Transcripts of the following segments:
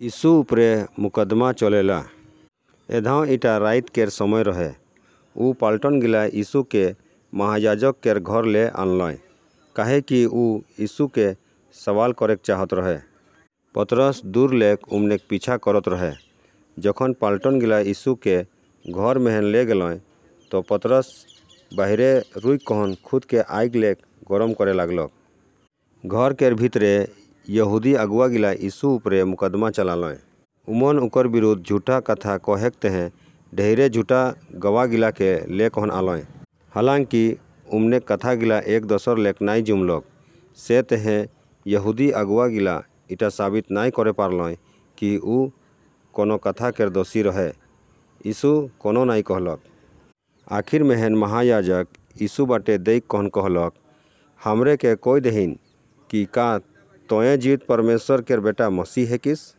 ईसु उपरे मुकदमा चलेला। एधांव इटा राएत केर समय रहे। ऊ पलटन गिला ईसु के महायाजक केर घर ले आनलय, काहेकि ऊ ईसु के सवाल करेक चाहत रहे। पतरस दूर लेक उमनेक पीछा करत रहे। जखन पलटन गिला ईसु के घर मेहेन ले गलांए, तो पतरस बाहिरे रुइक कहोन खुद के आएग लेक गरम करे लागलक। घर केर भीतरे यहूदी अगुवा गिला ईसु उपरे मुकदमा चलालंय। उमन उकर बिरुद्ध झूठा कथा कहेक तहें ढेरे झूठा गवाह गिला के ले कहोन आलंय। हालांकि उमनेक कथा गिला एक दोसर लेक नाए जुमलक, से तहें यहूदी अगुवा गिला इटा साबित नाए करे पारलंय कि ऊ कोनो कथा केर दोसी रहे। ईसु कोनो नाए कहलक। आखिर मेहेन महायाजक ईसु बाटे देख कहन कहलक, हमरे के कह देहिन कि का तोंए जीवित परमेस्वर केर बेटा मसीह हेकिस?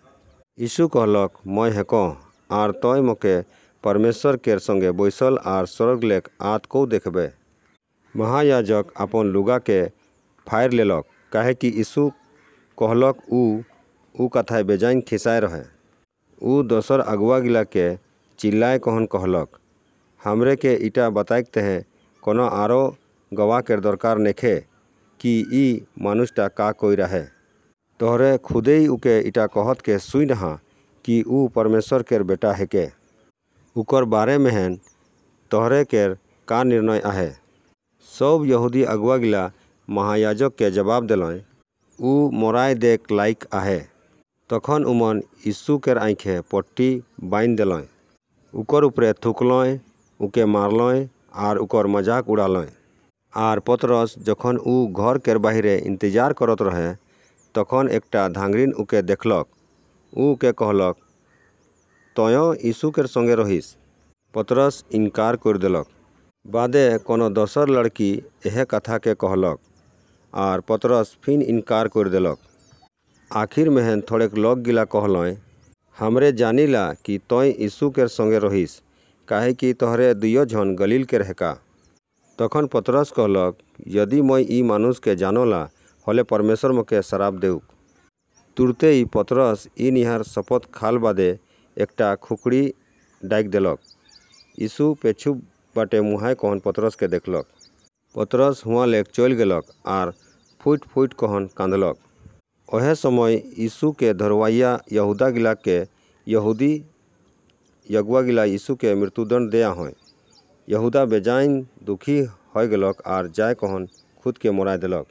ईसु कहलक, मय हेकों, आर तोंय मोके परमेस्वर केर संगे बैसल आर स्वर्ग लेक आत कौ देखबे। महायाजक आपन लुगा के फाएर लेलक, काहेकि ईसु कहलक ऊ ऊ कथाए बेजाएन खिसाए रहे। ऊ दोसर अगुवा गिला के चिल्लाए कहन कहलक, हमरे के इटा बताएक तहें कोनो आरो गवाह केर दरकार नेखे कि ई मानुसटा का कइर आहे। तोहरे खुदेय उके इटा कहत के सुइन अहाँ कि ऊ परमेस्वर केर बेटा हेके। उकर बारे मेहेन तोहरे केर का निर्णय आहे? सौब यहूदी अगुवा गिला महायाजक के जबाब देलंय, ऊ मोराए देक लाइक आहे। तखन उमन ईसु केर आँएखे पट्टी बांएध देलंय, उकर उपरे थुकलंय, उके मारलंय आर उकर मजाक उड़ालंय। आर पतरस जखन ऊ घर केर बाहिरे इंतजार करत रहे, तखन एकटा धांगरीन उके देखलक। ऊ उके कहलक, तोंयों ईसु केर संगे रहिस। पतरस इनकार कइर देलक। बादे कोनो दोसर लड़की एहे कथा के कहलक, आर पतरस फिन इनकार कइर देलक। आखिर मेहेन थोड़ेक लोग गिला कहलंय, हमरे जानिला कि तोंय ईसु केर संगे रहिस, काहेकि तोहरे दुइयो झन गलील केर हेका। तखन पतरस कहलक, यदि मय ई मानुस के जानोला, हले परमेस्वर मोके सराप देउक। तुरते ही पतरस ई निहार सपत खाल बादे एकटा खुकरी डाएक देलक। ईसु पेछु बाटे मुहाए कहन पतरस के देखलक। पतरस हुआँ लेक चइल गेलक आर फुइट-फुइट कहन कांदलक। ओहे समय ईसु के धरवैया यहूदा गिला के यहूदी अगुवा गिला ईसु के मृत्युदंड दे आहोंय। यहूदा बेजाएन दुखी होए गलक आर जाए कहन खुद के मोराए देलक।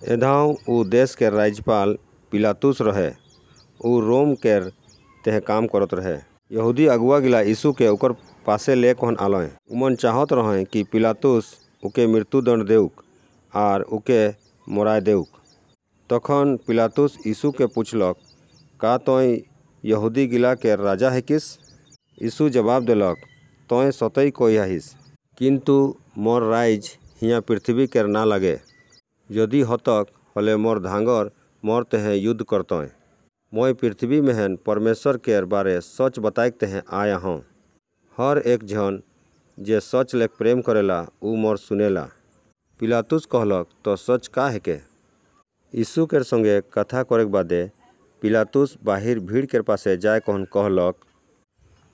एधांव ऊ देस केर राज्यपाल पिलातुस रहे। ऊ रोम केर तहें काम करत रहे। यहूदी अगुवा गिला ईसु के उकर पासे ले कहन आलंय। उमन चाहत रहंय कि पिलातुस उके मृत्युदंड देउक आर उके मोराए देउक। तखन पिलातुस ईसु के पुछलक, का तोंय यहूदी गिला केर राजा हेकिस? ईसु जबाब देलक, तोंय सतई कह आहिस। किंतु मोर राएज हियां पृथ्बी केर ना लगे। यदि हतक हले मोर धांगर मोर तहें युद्ध करतंय। मय पृथ्बी मेहेन परमेस्वर केर बारे सच बताएक तहें आए अहों। हर एक झन जे सच लेक प्रेम करेला ऊ मोर सुनेला। पिलातुस कहलक, तो सच का हेके? ईसु केर संगे कथा करेक बादे पिलातुस बाहिर भीड़ केर पासे जाए कहन कहलक,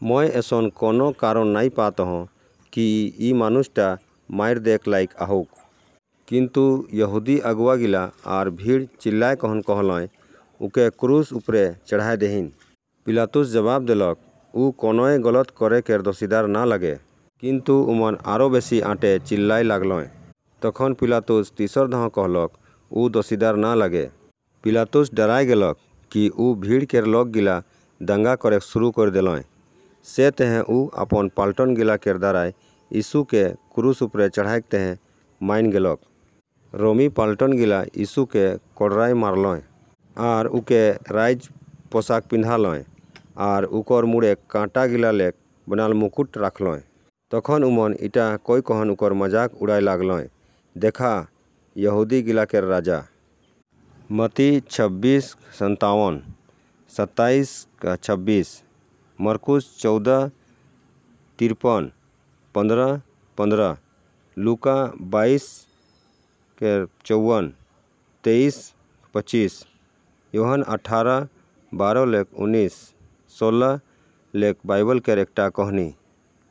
मय एसन कोनो कारन नाए पात अहों कि ई मानुसटा माएर देक लाइक आहुक। किंतु यहूदी अगुवा गिला आर भीड़ चिल्लाए कहन कहलंय, उके क्रूस उपरे चढ़ाए देहिन। पिलातुस जबाब देलक, ऊ कोनोए गलत करे केर दोसीदार ना लगे। किंतु उमन आरो बेसी आंटे चिल्लाए लागलंय। तखन पिलातुस तीसर दहां कहलक, ऊ दोसीदार ना लगे। पिलातुस डराए गेलक कि ऊ भीड़ केर लोग गिला दंगा करेक शुरू कइर देलंय, से तहें ऊ आपन पलटन गिला केर दाराय ईसु के क्रूस उपरे चढ़ाएक तहें माइन गेलक। रोमी पलटन गिला ईसु के कोड़राए मारलंय आर उके राएज पोशाक पिन्धालंय आर उकर मुड़े कांटा गिला लेक बनाल मुकुट राखलंय। तखन उमन इटा कह कहन उकर मजाक उड़ाए लागलंय, देखा, यहूदी गिला केर राजा। मत्ती 26:57, 27:26, मरकुस 14:53, 15:15, लूका 22:54, 23:25, योहन 18। 12 लेक 19, 16 लेक बाइबल केर एकटा कहनी।